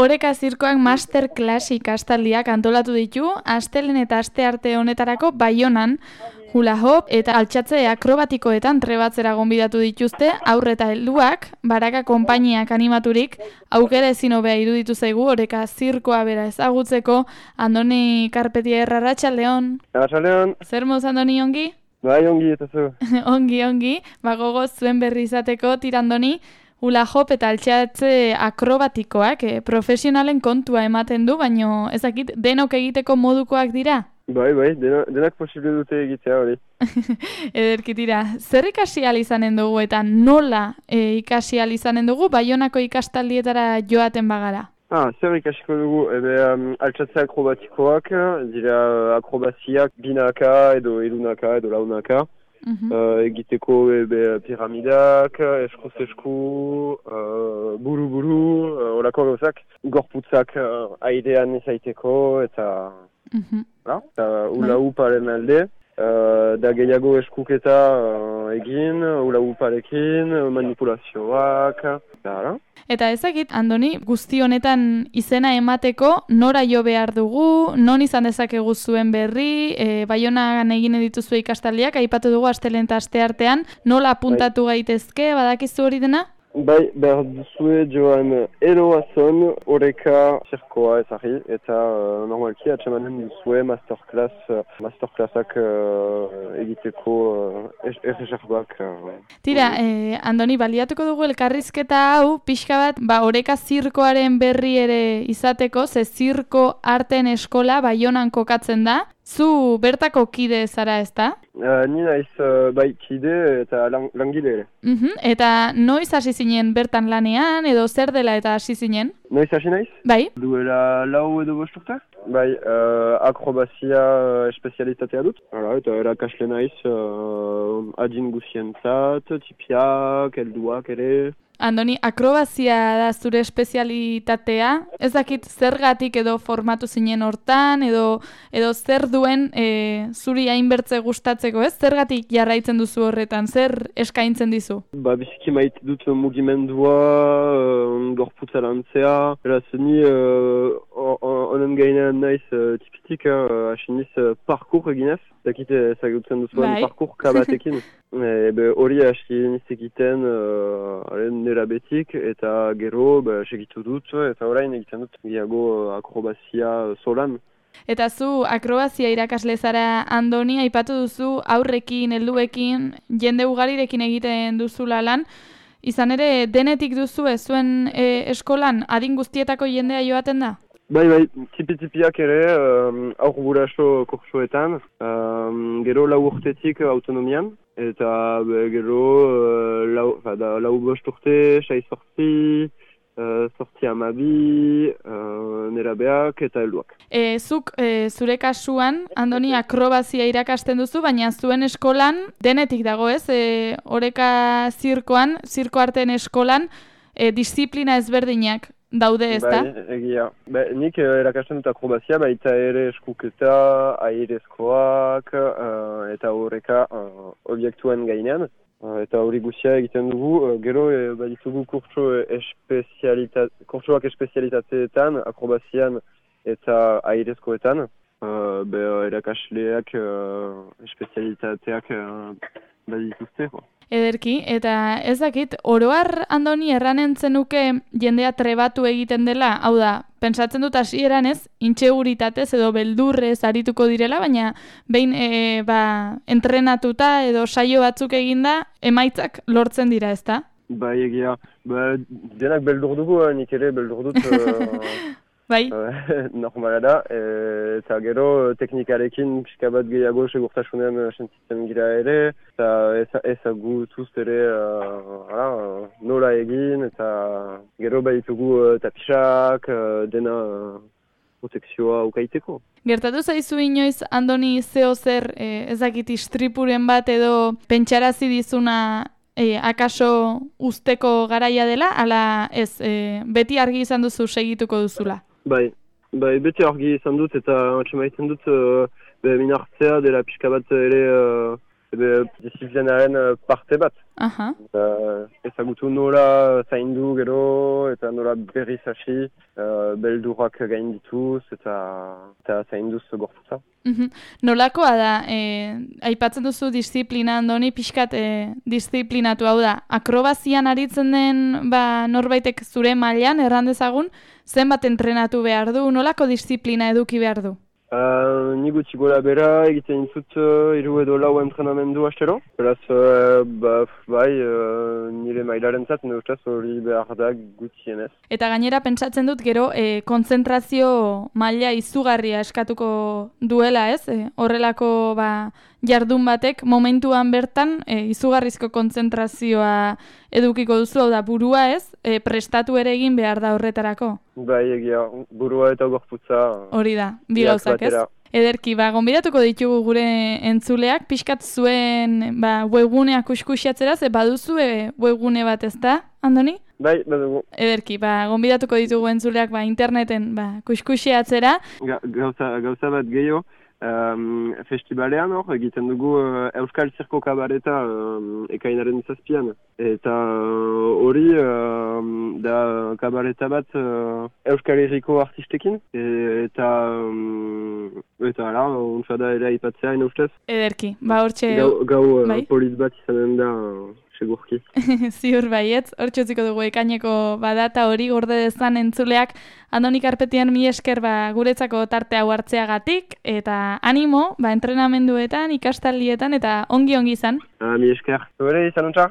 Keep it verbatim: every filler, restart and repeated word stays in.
Oreka Zirkoak masterclass ikastaldiak antolatu ditu, astelehen eta astearte honetarako Baionan, hula hop eta altxatze akrobatikoetan trebatzera gonbidatu dituzte, aurre eta helduak, Baraka konpainiak animaturik, aukera ezin hobea iruditu zaigu Oreka Zirkoa bera ezagutzeko. Andoni Karpetia Arratsaldeon. Arratsaldeon. Zer moz, Andoni, ongi? Bai, ongi, eta zu. ongi, ongi. Ba, gogoz zuen berri izateko, tirandoni, hula hop eta altxatze akrobatikoak eh, profesionalen kontua ematen du, baino ezakit denok egiteko modukoak dira? Bai, bai, denak, denak posible dute egitea hori. Ederki tira, zer ikasi ahal izanen dugu eta nola e, ikasi ahal izanen dugu Baionako ikastaldietara joaten bagara? Ah, zer ikasiko dugu, ebe um, altxatze akrobatikoak, dira akrobaziak binaka edo edunaka edo launaka. Uh-huh. Uh, egiteko ebe piramidak, eskuz esku, uh, buru-buru, uh, olako gauzak, gorputzak uh, airean izaiteko eta... Uh-huh. La, eta ula uparen alde, uh, da gehiago eskuketa uh, egin, ula uparekin, manipulazioak, eta... Eta ezagit, Andoni, guzti honetan izena emateko nora jo behar dugu, non izan dezakegu zuen berri, e, Baionan egin dituzue ikastaldiak, aipatu dugu astelehen eta asteartean, nola apuntatu bai. Gaitezke, badakizu hori dena? Bai, behar duzue joan eroazon Oreka Zirkoa ezari, eta uh, normalki atxemanen duzue masterclass, uh, masterclassak uh, egiteko uh, erreserbak. Uh, Tira, eh, Andoni, baliatuko dugu elkarrizketa hau, pixka bat, ba, Oreka Zirkoaren berri ere izateko, ze zirko arten eskola Baionan kokatzen da. Zu bertako kide zara, ezta? Uh, ni naiz uh, bai kide eta lang, langile ere. Uh-huh. Eta noiz hasi zinen bertan lanean, edo zer dela eta hasi zinen? Noiz hasi naiz? Bai. Duela lau edo bost urte? Bai, uh, akrobazia uh, espezialitatea dut. Hala, eta erakasle naiz uh, adin guzientzat, tipiak, helduak ere. Andoni, akrobazia da zure espezialitatea, ez dakit zergatik edo formatu zinen hortan, edo edo zer duen e, zuri hainbertze gustatzeko, ez? Zergatik jarraitzen duzu horretan, zer eskaintzen dizu? Ba, biziki maite dut mugimendua, uh, gorputza lantzea, eraz ni honen uh, gainean naiz uh, tipitik, hasi uh, niz uh, parkour eginez, dakit ezagutzen duzuen parkour kabatekin. Ebe hori hasi niz egiten uh, nera betik eta gero ba, segitu dut eta orain egiten dut gehiago akrobazia solan. Eta zu akrobazia irakasle zara, Andoni, aipatu duzu aurrekin, helduekin, jende ugarirekin egiten duzula lan. Izan ere, denetik duzu ez zuen e, eskolan adin guztietako jendea joaten da? Bai, bai, tipi-tipiak ere, um, aur guraso kursoetan, um, gero lau urtetik autonomian, eta be, gero uh, lau, da, lau bost urte, sai sortzi, uh, sortzi amabi, uh, nerabeak eta helduak. E, zuk e, zure kasuan, Andoni, akrobazia irakasten duzu, baina zuen eskolan denetik dago ez, e, Oreka Zirkoan, zirko arteen eskolan, e, disiplina ezberdinak daude, ez da? Bai, egia. Ba, nik erakasten dut akrobazia, baita ere eskuketa, airezkoak, uh, eta horreka uh, objektuen gainean. Uh, eta hori guzia egiten dugu, uh, gero e, baditugu kurtso espezialita- kurtsoak espezialitateetan, akrobazian eta airezkoetan. Uh, be, erakasleak uh, espezialitateak uh, badituzte. Ederki, eta ez dakit, oroar, Andoni, erranen zenuke jendea trebatu egiten dela, hau da, pentsatzen dut hasieran ez, intsegurutatez edo beldurrez arituko direla, baina behin e, ba, entrenatuta edo saio batzuk eginda, emaitzak lortzen dira, ezta? Bai, egia, ba, denak beldur dugu, nik ere beldur dut... Uh... Bai. Normala da, e, eta gero teknikarekin pixka bat gehiago segurtasunean sentitzen gira ere, eta ezagutuz ere uh, uh, nola egin, eta gero baditugu uh, tapisak, uh, dena uh, protekzioa ukaiteko. Gertatu zaizu inoiz, Andoni, zeo zer, eh, ezakit istripuren bat edo pentsarazi dizuna E, akaso usteko garaia dela, ala ez, e, beti argi izan duzu segituko duzula? Bai, bai beti argi izan dut eta atxemaiten dut uh, minartzea dela pixka bat ere uh, ebe disiplinaren parte bat. Aha. Uh, ezagutu nola zaindu gero, eta nola berriz hasi, uh, beldurrak gaindituz, eta, eta zainduz gorputza. Mm-hmm. Nolakoa da, e, aipatzen duzu disiplina andoni, pixkat e, disiplinatu hau da, akrobazian aritzen den ba, norbaitek zure mailan erran dezagun, zenbat entrenatu behar du, nolako disiplina eduki behar du? Uh, ni gutxi gora bera egiten dut uh, hiru edo lau entrenamendu astero. Beraz, uh, ba, bai, uh, nire mailaren zat, nire ustez hori behar da gutxienez. Eta gainera pentsatzen dut gero e, kontzentrazio maila izugarria eskatuko duela, ez? E, horrelako ba, jardun batek momentuan bertan e, izugarrizko kontzentrazioa edukiko duzu, hau da burua, ez? E, prestatu ere egin behar da horretarako. Bai, egia, burua eta gorputza. Hori da, bi gauzak, ez? Ederki, ba, gonbidatuko ditugu gure entzuleak, pixkat zuen ba, webgunea kuskusiatzera, ze baduzu e, webgune bat, ez da, Andoni? Bai, badugu. Ederki, ba, gonbidatuko ditugu entzuleak ba, interneten ba, kuskusiatzera. Ga, gauza, gauza bat gehiago. Um, festivalean hor, egiten dugu uh, Euskal Zirko Kabareta um, ekainaren zazpian. Eta hori uh, um, da kabareta bat uh, Euskal Herriko artistekin. E, eta um, eta ala, unfada ere aipatzea ina ustez. Ederki, ba hortxe... Gau, gau uh, bai? Polit bat izanen da... Uh, segurki. Ziur baietz, hortxe utziko dugu ekaineko badata hori gorde dezan entzuleak. Andoni Karpetian mi esker ba, guretzako tarte hau hartzeagatik, eta animo, ba, entrenamenduetan, ikastaldietan, eta ongi-ongi izan. Ah, mi esker. Zure izan untza?